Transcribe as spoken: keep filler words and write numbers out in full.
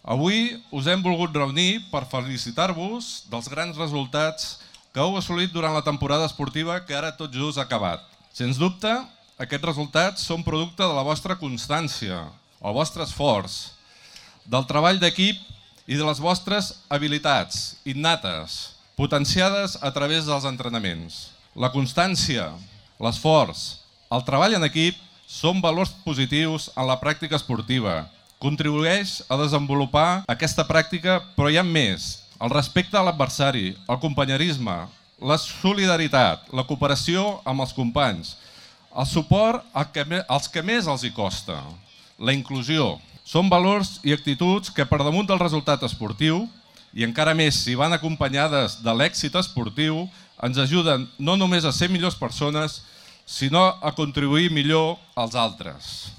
Avui us hem volgut reunir per felicitar-vos dels grans resultats que heu assolit durant la temporada esportiva que ara tot just ha acabat. Sens dubte, aquests resultats són producte de la vostra constància, el vostre esforç, del treball d'equip i de les vostres habilitats innates, potenciades a través dels entrenaments. La constància, l'esforç, el treball en equip són valors positius en la pràctica esportiva. Contribueix a desenvolupar aquesta pràctica, però hi ha més. El respecte a l'adversari, el companyerisme, la solidaritat, la cooperació amb els companys, el suport als que més els hi costa, la inclusió. Són valors i actituds que per damunt del resultat esportiu, i encara més si van acompanyades de l'èxit esportiu, ens ajuden no només a ser millors persones, sinó a contribuir millor als altres.